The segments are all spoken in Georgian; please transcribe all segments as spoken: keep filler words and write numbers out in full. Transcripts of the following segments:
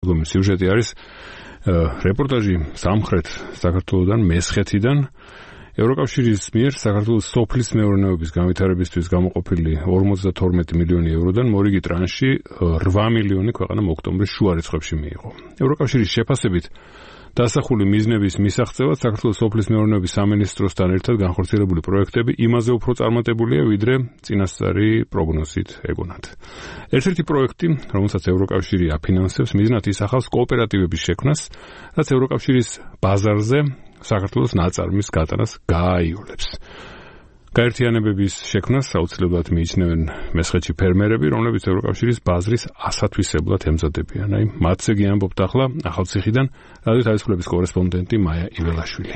სიუჟეტი არის რეპორტაჟი სამხრეთ საქართველოსთან, მესხეთიდან, ევროკავშირის მიერ საქართველოს სოფლის მეურნეობის განვითარებისთვის გამოყოფილი ორმოცდათორმეტი მილიონი ევროდან მორიგი ტრანში რვა მილიონი ქვეყანამ ოქტომბრის შუა რიცხვებში მიიღო. ევროკავშირის შეფასებით დასახული მიზნების მისაღწევად საქართველოს სოფლის მეურნეობის სამინისტროსთან ერთად განხორციელებული პროექტები იმაზე უფრო წარმატებულია, ვიდრე წინასწარი პროგნოზით ეგონათ. ერთ-ერთი პროექტი, რომელსაც ევროკავშირი აფინანსებს, მიზნად ისახავს კოოპერატივების შექმნას, რაც ევროკავშირის ბაზარზე საქართველოს ნაწარმის გატანას გააიოლებს. გაერთიანებების შექმნას აუცილებლად მიიჩნევენ მესხეთში ფერმერები, რომლებიც ევროკავშირის ბაზრის ასათვისებლად ემზადებიან. აი, მათზე გიამბობთ ახლა ახალციხიდან რადიო თავისუფლების კორესპონდენტი მაია იველაშვილი.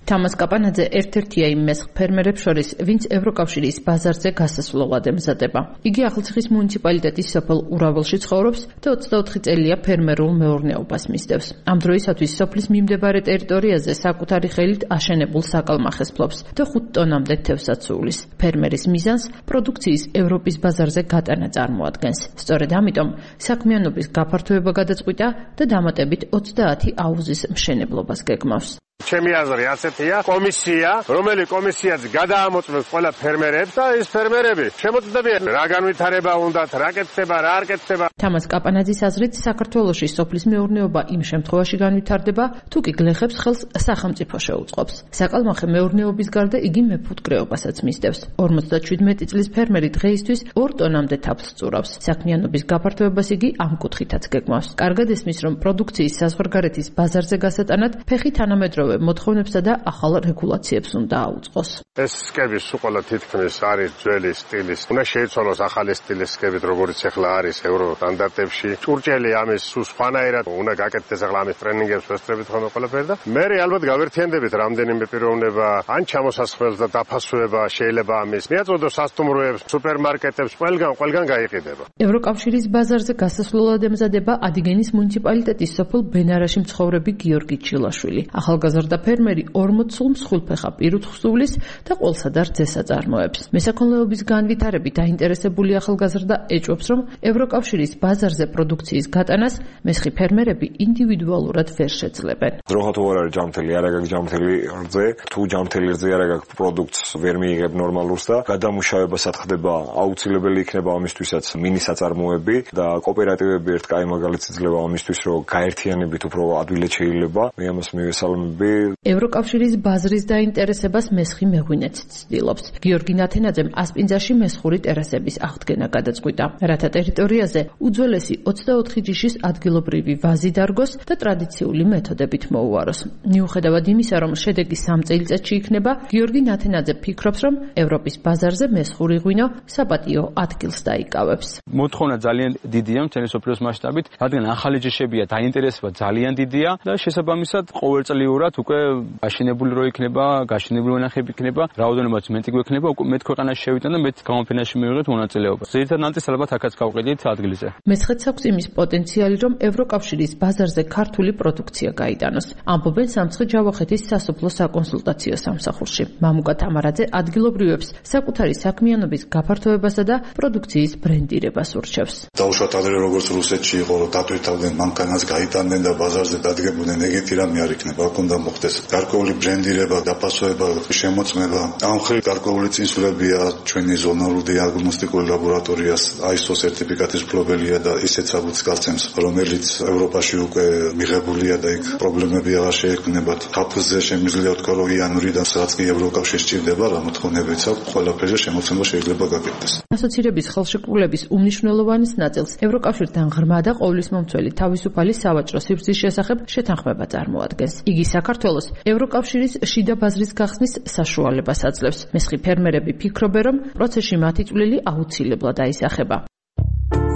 თამას კაპანაძე ერთ-ერთია იმ მესხ ფერმერებს შორის, ვინც ევროკავშირის ბაზარზე გასასვლელად ემზადება. იგი ახალციხის მუნიციპალიტეტის სოფელ ურაველში ცხოვრობს და ოცდაოთხი წელია ფერმერულ მეურნეობას მისდევს. ამ დროისათვის სოფლის მიმდებარე ტერიტორიაზე საკუთარი ხელით აშენებულ საკალმახეს ფლობს და ხუთ ტონამდე თევზს აცულის. ფერმერის მიზანს პროდუქციის ევროპის ბაზარზე გატანა წარმოადგენს. სწორედ ამიტომ საქმიანობის გაფართოება გადაწყვიტა და დამატებით ოცდაათი აუზის მშენებლობას გეგმავს. ჩემი აზრი ასეთია, კომისია, რომელიც კომისიაც გადაამოწმებს ყველა ფერმერებს და ეს ფერმერები შემოწმდებიან რა განვითარება უნდათ, რა კეთდება, რა არ კეთდება. თამას კაპანაძის აზრით, საქართველოში სოფლის მეურნეობა იმ შემთხვევაში განვითარდება, თუ კი გლეხებს ხელს სახელმწიფო შეუწყობს. საკალმახე მეურნეობის გარდა იგი მეფუტკრეობასაც მისდევს. ორმოცდაშვიდმეტი წლის ფერმერი დღეისთვის ორ ტონამდე თაფლს წურავს. საქმიანობის გაფართოებას იგი ამ კუთხითაც გეგმავს. კარგად ესმის, რომ პროდუქციის საზღვარგარეთის ბაზარზე გასატანად ფეხი თანამედროვე მოთხოვნებსა და ახალ რეგულაციებს უნდა აუწყოს. ეს სკები სულ თითქმის არის ძველი სტილის. უნდა შეიცვალოს ახალი სტილის სკებით, როგორც ახლა არის ევრო სტანდარტებში. ჭურჭელი ამის სულ სხვანაირად უნდა გაკეთდეს ახლა ამის ტრენინგებს ვესწრებით ხოლმე ყველაფერი და მე ალბათ გავერთიანდებით რამდენიმე პიროვნება, ან ჩამოსასხმელს და დაფასვება შეიძლება ამის. მიაწოდოს სასტუმროებს, სუპერმარკეტებს, ყველგან, ყველგან გაიყიდება. ევროკავშირის ბაზარზე გასასვლელად ემზადება ადიგენის მუნიციპალიტეტის სოფელ ბენარაში მცხოვრები გიორგი ჩილაშვილი. ახალგაზრდა ფერმერი ორმოც სულ მსხვილფეხა პირუთ ხსოვლის და ყველსა და რძეს აწარმოებს. მესაქონლეობის განვითარებით დაინტერესებული ახალგაზრდა ეჭვობს, რომ ევროკავშირის ბაზარზე პროდუქციის გატანას მესხი ფერმერები ინდივიდუალურად ვერ შეძლებენ. დროხა თუ არ არის ჯამთელი, არ აქვს ჯამთელი რძე, თუ ჯამთელი რძე არ აქვს პროდუქტს ვერ მიიღებ ნორმალურს და გადამუშავებასაც ხდება, აუცილებელი იქნება ამისთვისაც მინისაწარმოები და კოოპერატივები ერთ კაი მაგალითს იძლევა ამისთვის, რომ გაერთიანებით უფრო ადვილად შეიძლება. მე ამას მივესალმები. ევროკავშირის ბაზრის დაინტერესებას მესხი მეღვინეც ცდილობს. გიორგი ნათენაძემ ასპინძაში მესხური ტერასების აღდგენა გადაწყვიტა, რათა ტერიტორიაზე უძველესი ოცდაოთხი ჯიშის ადგილობრივი ვაზი დარგოს და ტრადიციული მეთოდებით მოუაროს. მიუხედავად იმისა, რომ შედეგი სამ წელიწადში იქნება, გიორგი ნათენაძე ფიქრობს, რომ ევროპის ბაზარზე მესხური ღვინო საპატიო ადგილს დაიკავებს. მოთხოვნა ძალიან დიდია მთელი სოფლიოს მასშტაბით, რადგან ახალი ჯიშებია, დაინტერესება ძალიან დიდია და შესაბამისად ყოველწლიურად უკვე გაშენებული რო იქნება, გაშენებული ვენახები იქნება, რაოდენობაც მეტი გვექნება, უკვე მეტ ქვეყანაში შევიდან და მეტ გამოფენაში მივიღეთ მონაწილეობა. ზედიზად ნანტის ალბათ აქაც გავყიდით ადგილზე. მესხეთს აქვს იმის პოტენციალი, რომ ევროკავშირის ბაზარზე ქართული პროდუქცია გაიტანოს. ამბობენ სამცხე-ჯავახეთის სასოფლო საკონსულტაციო სამსახურში. მამუკა თამარაძე ადგილობრივებს საკუთარი საქმიანობის გაფართოებასა და პროდუქციის ბრენდირებას ურჩევს. დაუშვათ ადრე როგორც რუსეთში იყო, რომ დატვირთავდნენ მანქანას, გაიტანდნენ და ბაზარზე დადგებოდნენ, ეგეთი რამე არ იქნება. აქ უნდა მოხდეს გარკვეული ბრენდირება, დაფასვება, შემოწმება. ამ ხრივ გარკვეული წინსვლებია ჩვენი ზონალური დიაგნოსტიკური ლაბორატორიას აი ეს ო სერტიფიკატის მფლობელია და ისეც აღუც გასცემს, რომელიც ევროპაში უკვე მიღებულია და იქ პრობლემები აღარ შეექმნებათ. თაფლზე შემიძლია ვთქვა, რომ იანვრიდან სადაც კი ევროკავშირი სჭირდება, რა მოთხოვნებიც აქვს, ყველაფერზე შემოცემა შეიძლება გაკეთდეს. ასოცირების ხელშეკრულების უმნიშვნელოვანეს ნაწილს ევროკავშირთან ღრმა და ყოვლისმომცველი თავისუფალი სავაჭრო სივრცის შესახებ შეთანხმება წარმოადგენს. იგი საქართველოს ევროკავშირის შიდა ბაზრის გახსნის საშუალებას აძლევს. მესხი ფერმერები ფიქრობენ, რომ პროცესში მათი წვლილი აუცილებლად აისახება.